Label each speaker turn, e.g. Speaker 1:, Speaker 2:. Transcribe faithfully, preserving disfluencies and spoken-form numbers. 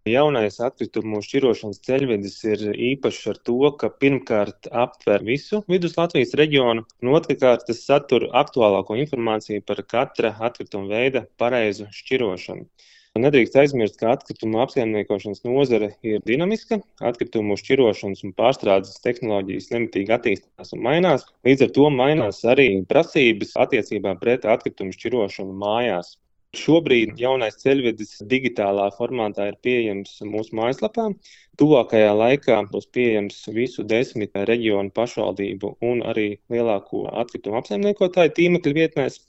Speaker 1: Jaunais atkritumu šķirošanas ceļvedis ir īpašs ar to, ka pirmkārt aptver visu Vidus Latvijas reģionu, un otrkārt tas satur aktuālāko informāciju par katra atkrituma veida pareizu šķirošanu. Nedrīkst aizmirst, ka atkritumu apsaimniekošanas nozare ir dinamiska, atkritumu šķirošanas un pārstrādes tehnoloģijas nemitīgi attīstās un mainās, līdz ar to mainās arī prasības attiecībā pret atkritumu šķirošanu mājās. Šobrīd jaunais ceļvedis digitālā formātā ir pieejams mūsu mājaslapā. Tuvākajā laikā būs pieejams visu desmit reģionu pašvaldību un arī lielāko atkritumu apsaimniekotāju tīmekļa vietnēs.